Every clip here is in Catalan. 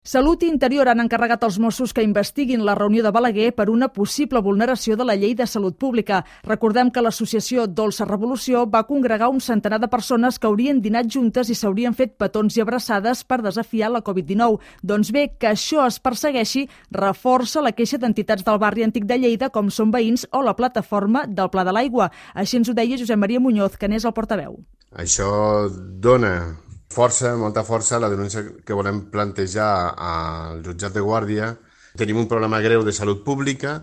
Salut i Interior han encarregat als Mossos que investiguin la reunió de Balaguer per una possible vulneració de la llei de salut pública. Recordem que l'associació Dolça Revolució va congregar un centenar de persones que haurien dinat juntes i s'haurien fet petons i abraçades per desafiar la Covid-19. Doncs bé, que això es persegueixi reforça la queixa d'entitats del barri antic de Lleida, com Som Veïns o la plataforma del Pla de l'Aigua. Així ens ho deia Josep Maria Muñoz, que n'és el portaveu. Això dona força, molta força, la denúncia que volem plantejar al jutjat de Guàrdia. Tenim un problema greu de salut pública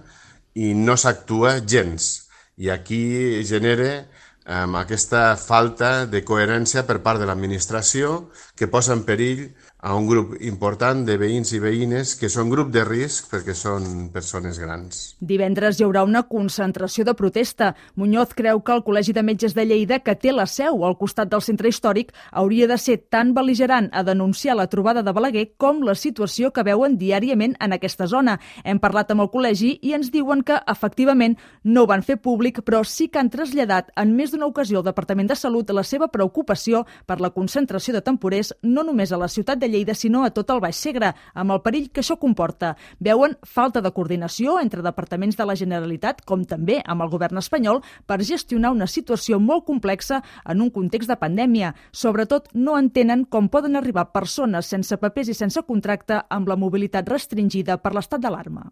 i no s'actua gens. I aquí genera aquesta falta de coherència per part de l'administració que posa en perill a un grup important de veïns i veïnes que són grup de risc perquè són persones grans. Divendres hi haurà una concentració de protesta. Muñoz creu que el Col·legi de Metges de Lleida, que té la seu al costat del centre històric, hauria de ser tan bel·ligerant a denunciar la trobada de Balaguer com la situació que veuen diàriament en aquesta zona. Hem parlat amb el col·legi i ens diuen que, efectivament, no ho van fer públic, però sí que han traslladat en més d'una ocasió al Departament de Salut la seva preocupació per la concentració de temporers no només a la ciutat de Lleida, sinó a tot el Baix Segre, amb el perill que això comporta. Veuen falta de coordinació entre departaments de la Generalitat, com també amb el govern espanyol, per gestionar una situació molt complexa en un context de pandèmia. Sobretot, no entenen com poden arribar persones sense papers i sense contracte amb la mobilitat restringida per l'estat d'alarma.